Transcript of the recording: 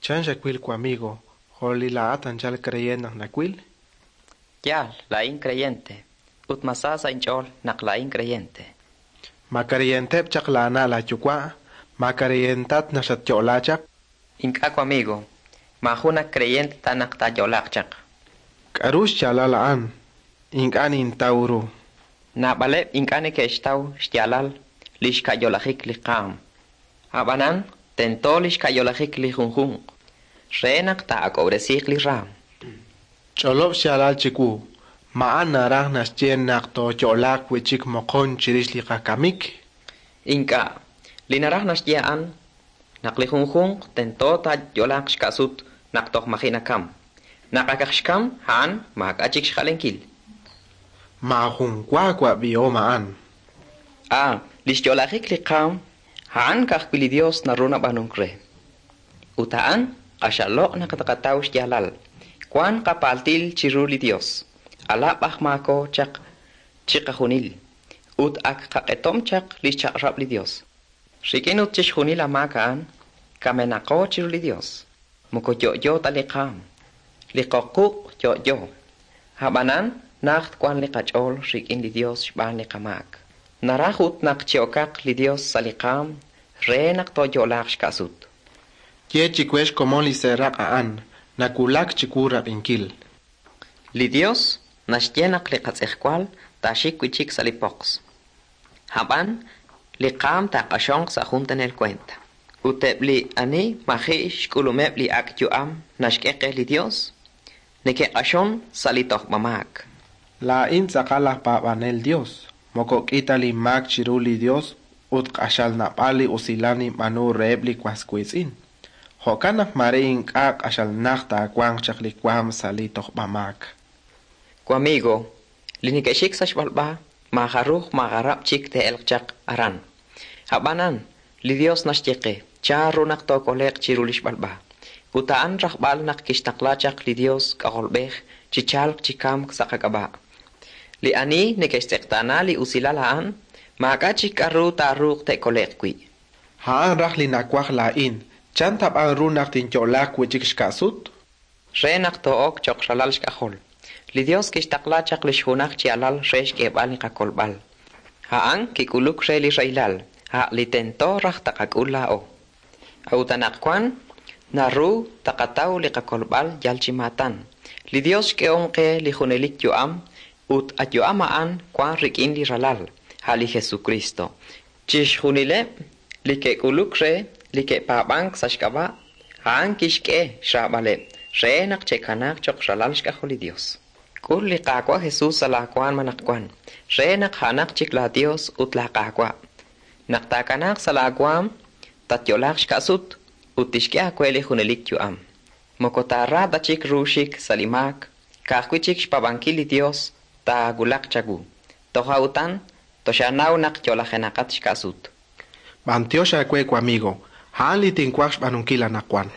Chan xawil wamigo, jo' li laa'at anchal creyent naq nawil? Yaal, laa'in creyente, ut mas sa sa' inch'ool naq laa'in creyente. Ma creyenteb' chaq laa na' laa yuwa'? Ma creyentat naq xatyo'la chaq? Ink'a' wamigo, maajun ak creyente ta naq taayo'laaq chaq. K'a'ru xyaalal a'an? Ink'a' nintaw ru. Naab'aleb' ink'a' neke'xtaw xyaalal lix ka'yolajik li qaam. A'b'anan, tento lix ka'yolajik li junjunq re naq taa'ak'ob'resiiq li raam. Ch'olob' xyaalal chiwu. Ma a'an naraj naxye naq tooyo'laaq wi'chik moqon chirix li qakamik? Ink'a'. Li naraj naxye a'an naq li junjunq tento taayo'laaq xka'sut naq toj maji' nakam. Naq akaq xkam, a'an maak'a' chik xjalenkil. Maajun wa wab'ihom a'an. Ah, lix yo'lajik li qaam, a'an ka'ajwi' li Dios naru nab'aanunk re. Ut a'an q'axal loq' naq taqataw xyaalal. Wan qapaltil chiru li Dios. Alab' aj maako chaq chiqajunil. Ut ak qaq'etom chaq lix chaq'rab' li Dios. Rik'in ut chixjunil amaak a'an, kamenaqo chiru li Dios. Moko yo'yo ta li qaam. Li qoquq' yo'yo. A'b'anan, najt wan li qach'ool rik'in li Dios xb'aan li qamaak. Naraj ut naq chi'okaq li Dios sa' li qaam re naq tooyo'laaq xka'sut. Ye chiwe xkomon li seeraq' a'an, nawulak chiwu rab'inkil. Li Dios naxye naq li qatz'ejwal taaxik wi'chik sa' li poqs. A'b'an, li qaam taaq'axonq sa' jun tenel kueent. Ut eb' li ani maji' xk'ulumeb' li ak' yu'am naxk'e qe li Dios, neke'q'axon sa' li tojb'amaak. Laa'in tz'aqal aj paab'anel Dios. Moko k'i ta linmaak chiru li Dios ut q'axal naab'al li usilal ninb'aanu reheb' li was wiitz'in. Jo'kan naq maare ink'a' q'axal najt taawanq chaq li waam sa' li tojb'amaak. Wamigo, li neke'xik sa' xb'alb'a maajaruj maagarab' chik te'elq chaq aran. A'b'anan, li Dios naxye qe chan ru naq tookole'q chiru li xb'alb'a. Ut a'an rajb'al naq kixtaqla chaq li Dios K'ajolb'ej chi chalq chi kamk sa' qak'ab'a'. Li ani neke'xtz'eqtaana li usilal a'an, maak'a' chik k'a'ru taaruuq te'kole'q wi'. A'an raj li nawaj laa'in. Chan tab'an ru naq tinyo'laaq wi'chik xka'sut? Re naq too'ok cho'q ralal xk'ajol. Li Dios kixtaqla chaq lix junaj chi alal re xk'eeb'al li qakolb'al. A'an kik'uluk re li rahilal, a' li tento raj taqak'ul laa'o. A'ut anaqwan naru taqataw li qakolb'al yal chi maatan. Li Dios xk'ehom qe li junelik yu'am ut a yu'am a'an wan rik'in li ralal, a' li Jesucristo. Chixjunileb' li ke'k'uluk re li ke'paab'ank sa' xk'ab'a', a'an kixk'e xraab'aleb' re naq che'kanaaq cho'q ralal xk'ajol li Dios. K'ul li Qaawa' Jesus sa' laa waanm anaqwan, re naq a'anaq chik laa Dios ut laa Qaawa'. Naq taakanaaq sa' laa waanm, tatyo'laaq xka'sut ut tixk'e aawe li junelik yu'am. Moko taara ta chik ru xik sa' li maak, ka'ajwi' chik xpaab'ankil li Dios taawulaq chawu. Toja' utan, toxaanaw naq yo'lajenaqat xka'sut. B'antiox aawe wamigo, a'an li tinwaj xb'aanunkil anaqwan.